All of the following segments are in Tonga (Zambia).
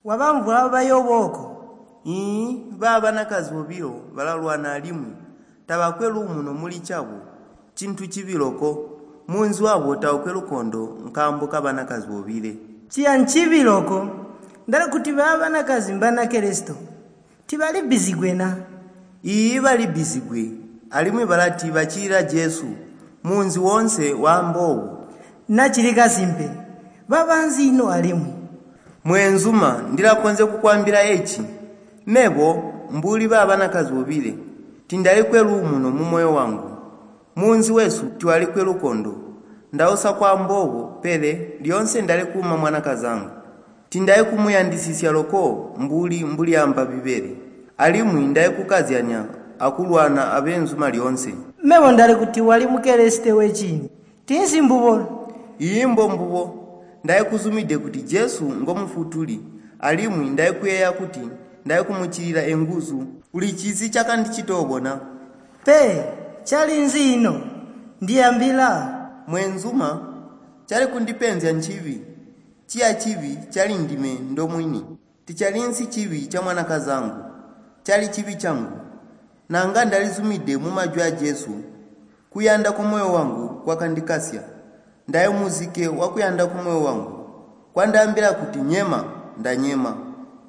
Wabamvwa bayobooko. Iiyi, ba banakazi bobilo balalwana alimwi tabakwe luumuno muli cabo. Ncintu cibi loko. Munzi wabo taukwe lukondo nkaambo kabanakazi bobile. Ciya ncibi loko. Ndali kuti ba banakazi mbana Kristo. Tibalibbizigwe na? Iiyi, balibbizigwe alimwi balati bacilila Jesu. Munzi woonse waamba obo. Nacili kasimpe. Babanzi ino alimwi? Mweenzuma, ndilakonzya kukwaambila eci. Mebo, mbuli ba banakazi bobile, tindalikwe luumuno mumoyo wangu. Munzi wesu tiwalikwe lukondo. Ndausa kwaamba obo, pele lyoonse ndali kuuma mwanakazaangu. Tindali kumuyandisisya loko mbuli mbulyaamba Bbibele. Alimwi ndali kukazyanya akulwana abeenzuma lyoonse. Mebo ndali kuti wali mukeleste wecini. Tinsi mbubo. Iiyi, mbombubo. Ndali kuzumide kuti Jesu ngomufutuli alimwi ndali kuyeeya kuti ndali kumucilila enguzu. Ulicizi cakandicita obo na? Pe, calinzi ino? Ndiyambila. Mweenzuma, cali kundipenzya ncibi. Ciya cibi cali ndime ndomwini. Ticalinsi cibi ca mwanakazaangu. Cali cibi cangu. Nanga ndalizumide mumajwi a Jesu, kuyanda kwamoyo wangu kwakandikasya. Ndali muzike wakuyanda kwamoyo wangu. Kwandaambila kuti nyema, ndanyema.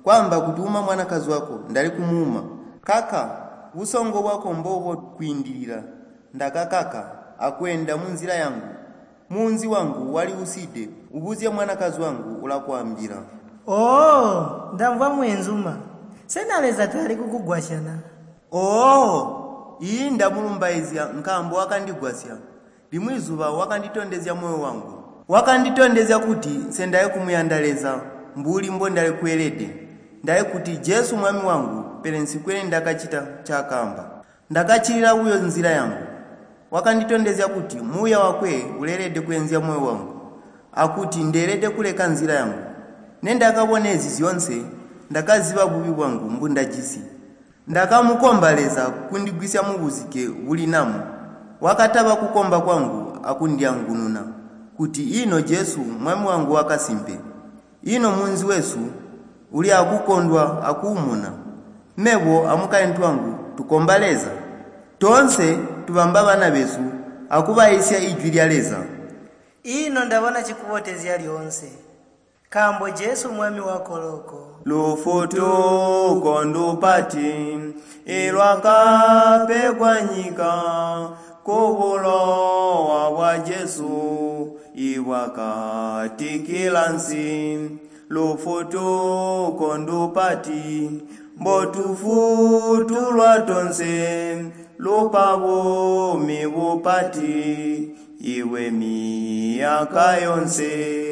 Kwaamba kuti uma mwanakazi wako, ndali kumuuma. Kaka, busongo bwako mbobubo kwiindilila. Ndakakaka akweenda munzila yangu. Munzi wangu wali uside. Ubuzye mwanakazi wangu ulakwaambila. Oo, ndamvwa mweenzuma. Sena Leza tali kukugwasya na? Oo, iiyi ndamulumbaizya nkaambo wakandigwasya. Limwi zuba wakanditondezya moyo wangu. Wakanditondezya kuti nsendali kumuyanda Leza mbuli mbondali kweelede. Ndali kuti Jesu Mwami wangu pele nsikwe nindakacita ncaakaamba. Ndakacilila buyo nzila yangu. Wakanditondezya kuti muuya wakwe uleelede kweenzya moyo wangu, akuti ndeelede kuleka nzila yangu. Nendakabona ezi zyoonse, ndakaziba bubi bwangu mbundajisi. Ndakamukomba Leza kundigwisya mubuzike buli namu. Wakataba kukomba kwangu akundiangununa kuti ino Jesu Mwami wangu wakasimpe. Ino munzi wesu uli akukondwa akuumuna. Mebo amukaintu wangu tukomba Leza. Toonse tubamba bana besu akubaiisya ijwi lya Leza. Ino ndabona cikubotezya lyoonse. Nkaambo Jesu Mwami wako loko. Lufutuko ndupati ilwakapegwa nyika kubulowa bwa Jesu ibwakatikila nsi. Lufutuko ndupati mbotufutulwa tonse lupa buumi bupati iwe miyaka yonse.